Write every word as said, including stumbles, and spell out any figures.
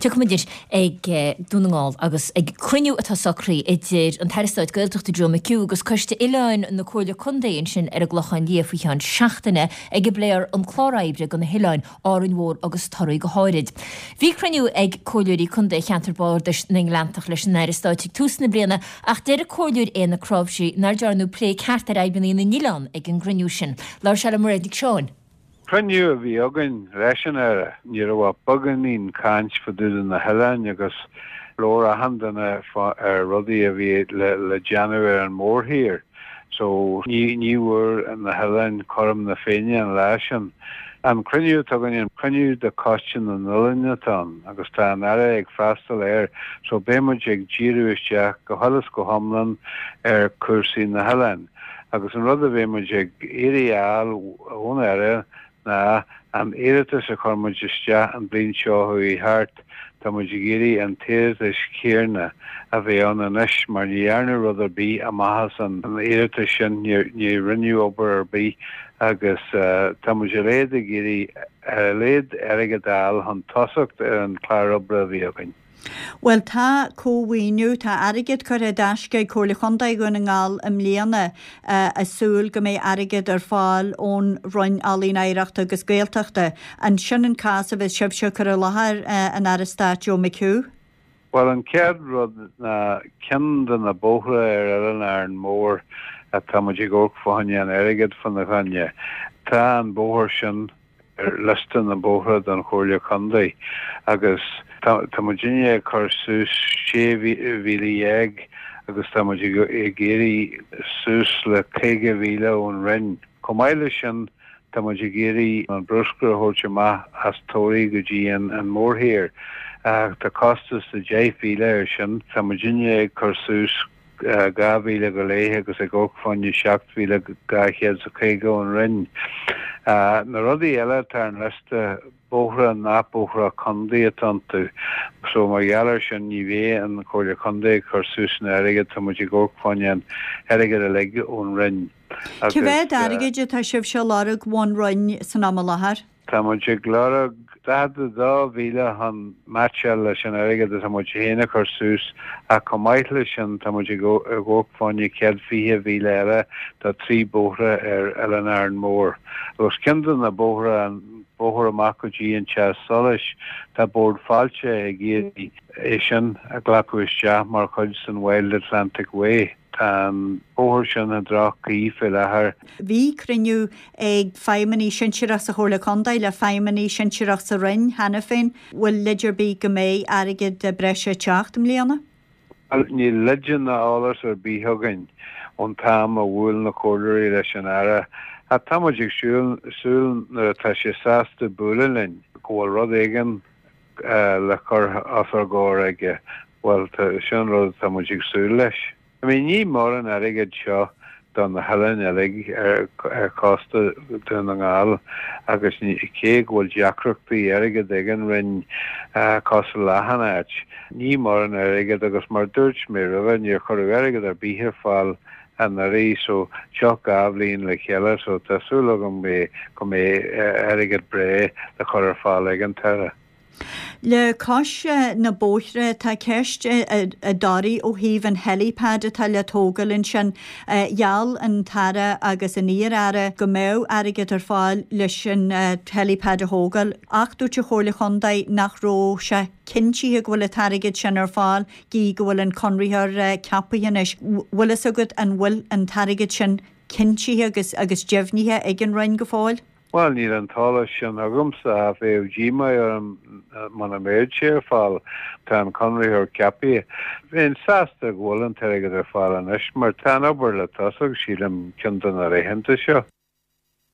Tiocfaimid anois ag Dún na nGall agus ag cruinniú atá socraithe idir an tAire Stáit Gaeltachta Joe McHugh agus Coiste Oileáin na Comhairle Contae ansin ar an gClochán Liath faoi cheann seachtaine ag a bpléifear an clár oibre do na hoileáin Árainn Mhór agus Toraí go háirid. Bhí cruinniú ag Comhairleoirí Contae Cheantar Bardais na nGleanntach leis an Aire Stáit ag tús na bliana ach deir Comhairleoir Éanna Cnáimhsí nár dearnadh plé ceart ar fhadhbanna na n-oileán ag an gcruinniú sin. Labhair sé le Mairéad Nic Seáin. Cruinniú a bhí againn leis an Aire, ní raibh ach beagáinín caint fá dtaobh de na hoileáin agus labhair achan duine ar rudaí a bhí le le déanamh ar an mórthír. So ní ní bhfuair na hoileáin cothrom na Féinne an lá sin. An cruinniú atá againn an cruinniú de Choiste na nOileán atá ann agus tá an Aire ag freastal air, so beidh muid ag díriú isteach go huile is go hiomlán ar cúrsaí na hoileáin. Agus an rud a bheidh muid ag iarraidh a fháil ón Aire ná an iarratas a chuir muid isteach an bliain seo chuaigh thart, tá muid ag iarraidh an t-iarratas céanna a bheith ann anois mar ní dhearnadh rud ar bith amach as an iarratas sin, ní rinneadh obair ar bith agus tá muid ar a laghad ag iarraidh ar a laghad airgead a fháil chun tosacht ar an chlár oibre a bhí againn. Bhuel tá cómhaoiniú, tá airgead curtha i dtaisce ag Comhairle Chontae Dhún na nGall i mbliana ag súil go mbeidh airgead ar fáil ón Roinn Ealaíon Oidhreachta agus Gaeltachta. An sin an cás a bheas sibhse ag cur i láthair an Aire Stáit Joe McHugh? Bhuel an chéad rud ná ceann de na bóithre ar Oileán Árainn Mhór atá muid ag amharc fá choinne an airgead fána choinne. Tá an bóthar sin ar liosta na mbóithre don Chomhairle Contae agus tá muidinne ag cur suas sé mhíle dhéag agus tá muid ag iarraidh suas le caoga mhíle ón Roinn. Chomh maith leis sin tá muid ag iarraidh an bruscar a thabhairt amach as Toraigh go dtí an mórthír. Tá costas de deich mhíle air sin. Tá muidinne ag cur suas dhá mhíle go leith agus ag amharc fá choinne seacht mhíle dhá chéad is caoga ón Roinn. Na rudaí eile atá ar an liosta, bóithre nach bóithre contae atá iontu. So mar gheall air sin ní bheidh an Chomhairle Contae ag cur suas an airgead, tá muid ag amharc fá choinne an airgead uilig ón Roinn. Cé mhéad airgid atá sibhse a lorg ón Roinn san am i láthair? Tá muid ag lorg daichead a dó mhíle chun meaitseáil leis an airgead atá muid féin a chur suas ach chomh maith leis sin tá muid ag amharc fá choinne céad fiche mhíle eile do trí bóithre ar Oileán Árainn Mhór. Agus ceann de na bóithre, an bóthar amach go dtí an teach solais, tá Bord Fáilte ag iarraidh é sin a ghlacadh isteach mar chuid den Wild Atlantic Way. Tá an bóthar sin i ndroch-chaoi faoi láthair. Bhí cruinniú ag feidhmeannaigh sinsearach sa Chomhairle Contae le feidhmeannaigh sinsearach sa Roinn cheana féin. Bhfuil leid ar bith go mbeidh airgead breise ag teacht i mbliana? Bhuel, níl leid ná eolas ar bith againn ón t-am a bhuail na comhairleoirí leis an Aire. Ach tá muid ag súil nuair atá sé sásta bualadh linn go bhfuil rud éigin le cur os ár gcomhair aige. Bhuel, sin an rud atá muid ag súil leis. I mean, ní mórán airgead seo do na hoileáin uilig ar chósta Dhún na nGall agus cé go bhfuil deacrachtaí airgid ag an Roinn cosúil le achan áit, ní mórán airgead agus mar dúirt mé roimhe, níor cuireadh airgead ar bith ar fáil anuraidh so seo dhá bhliain le chéile so tá súil agam go mbeidh airgead breá le cur ar fáil ag an tAire. Le cois na bóithre, tá ceist i dToraigh ó thaobh an helipad atá le tógáil ansin. Gheall an tAire agus an iar-aire go mbeadh airgead ar fáil leis an helipad a thógáil ach dúirt an Chomhairle Chontae nach raibh sé cinntithe go bhfuil an t-airgead sin ar fáil gí go bhfuil an conraitheoir ceaptha anois. Bhfuil fhios agat an bhfuil an t-airgead sin cinntithe agus agus deimhnithe ag an Roinn go fóill? Bhuel, níl an t-eolas sin agamsa ach bheadh díomá orm muna mbeadh sé ar fáil. Tá an conraitheoir ceaptha. Bheinn sásta go bhfuil an t-airgead ar fáil anois mar tá an obair le tosach, sílim, ceann de na laethanta seo.